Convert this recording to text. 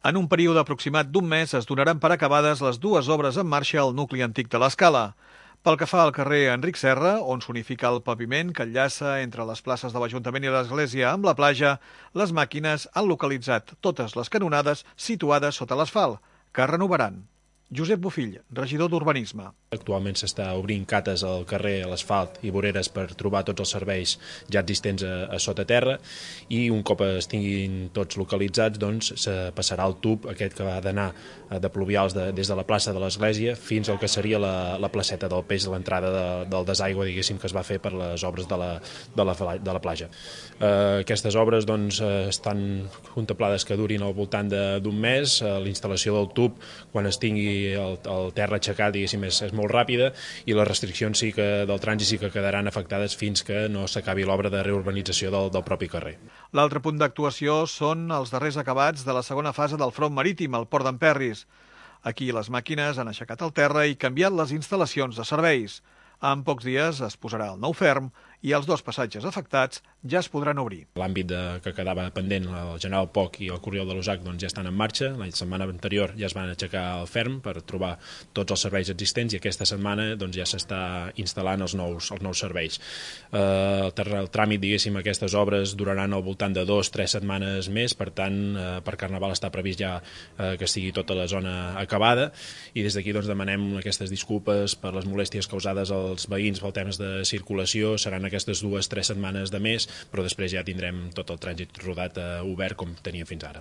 En un període aproximat d'un mes es donaran per acabades les dues obres en marxa al nucli antic de l'Escala. Pel que fa al carrer Enric Serra, on s'unifica el paviment que enllaça entre les places de l'Ajuntament i l'Església amb la platja, les màquines han localitzat totes les canonades situades sota l'asfalt, que es renovaran. Josep Bofill, regidor d'Urbanisme. Actualment s'està obrint cates al carrer, a l'asfalt i voreres per trobar tots els serveis ja existents a sota terra, i un cop estiguin tots localitzats doncs se passarà el tub aquest que va d'anar de pluvials des de la plaça de l'Església fins al que seria la placeta del peix de l'entrada del desaigüe, diguéssim, que es va fer per les obres de la platja. Aquestes obres doncs estan contemplades que durin al voltant d'un mes. La instal·lació del tub, quan es tingui el terra aixecat, diguéssim, és molt ràpida, i les restriccions del trànsit sí que quedaran afectades fins que no s'acabi l'obra de reurbanització del propi carrer. L'altre punt d'actuació són els darrers acabats de la segona fase del front marítim al port d'Emperris. Aquí les màquines han aixecat el terra i canviat les instal·lacions de serveis. En pocs dies es posarà el nou ferm i els dos passatges afectats ja es podran obrir. L'àmbit que quedava pendent, el General Poc i el Corriol de l'Usac, doncs ja estan en marxa. La setmana anterior ja es van aixecar el ferm per trobar tots els serveis existents, i aquesta setmana doncs ja s'està instal·lant els nous serveis. El tràmit, diguéssim, aquestes obres duraran al voltant de 2-3 setmanes més, per tant, per Carnaval està previst ja que estigui tota la zona acabada, i des d'aquí doncs demanem aquestes disculpes per les molèsties causades als veïns pel temps de circulació. Seran aquestes 2-3 setmanes de més, però després ja tindrem tot el trànsit rodat obert com teníem fins ara.